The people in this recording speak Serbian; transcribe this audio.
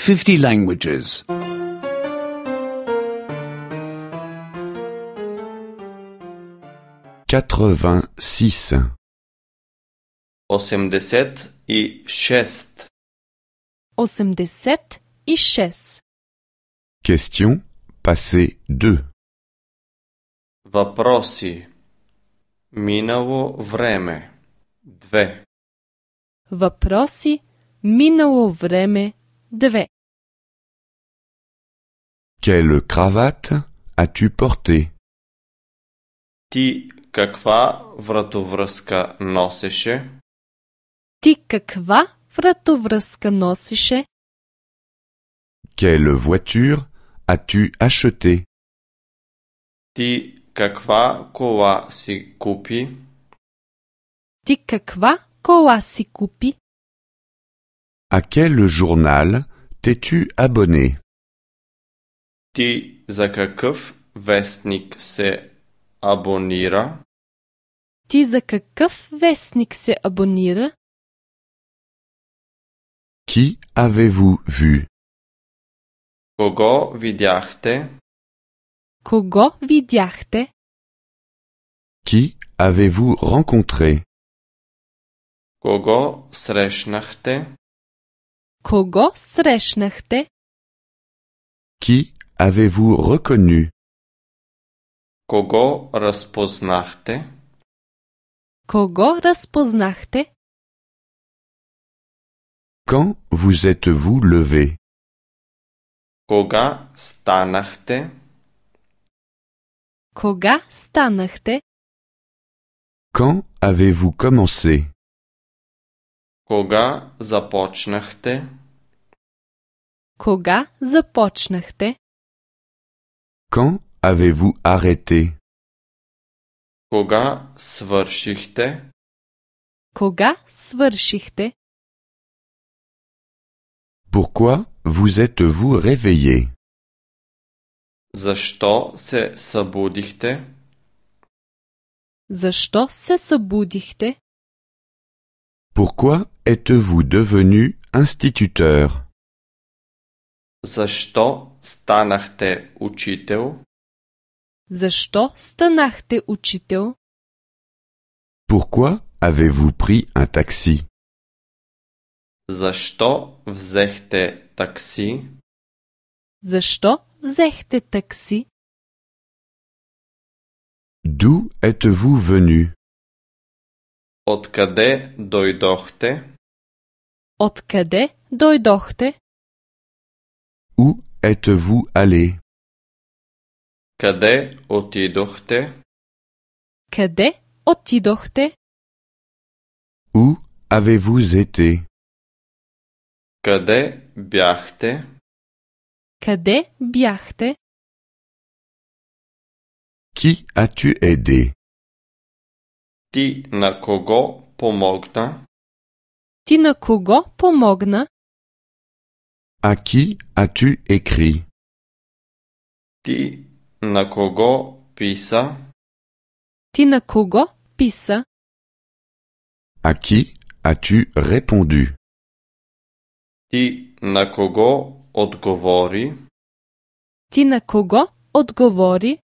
50 languages. 86. 86. 86. Question passé 2. Въпроси. Минало време. 2. Въпроси. Минало време. 2. Quelle cravate as-tu porté? Ти каква вратовръзка носеше? Ти каква вратовръзка носеше? Quelle voiture as-tu acheté? Ти каква кола си купи? Ти каква кола си купи? À quel journal t'es-tu abonné? Ти за какъв вестник се абонира? Ти за какъв вестник се абонира? Qui avez-vous vu? Кого видяхте? Кого видяхте? Qui avez-vous rencontré? Кого срещнахте? Кого срещнахте? Qui avez-vous reconnu? Кого разпознахте? Кого разпознахте? Quand vous êtes-vous levé? Кога станахте? Кога станахте? Quand avez-vous commencé? Кога започнахте? Кога започнахте? Quand avez-vous arrêté? Кога свършихте? Кога свършихте? Pourquoi vous êtes-vous réveillé? Защо се събудихте? Защо се събудихте? Pourquoi êtes-vous devenu instituteur? Защо станахте учител? Защо станахте учител? Pourquoi avez-vous pris un taxi? Защо взехте такси? Защо взехте такси? D'où êtes-vous venu? Откъде дойдохте? Откъде дойдохте? Où êtes-vous allé? Къде отидохте? Къде отидохте? Où avez-vous été? Къде бяхте? Къде бяхте? Qui as-tu aidé? Ти на кого помогна? Ти на кого помогна? À qui as-tu écrit? Ти на кого писа? Ти на кого писа? À qui as-tu répondu? Ти на кого отговори? Ти на кого отговори?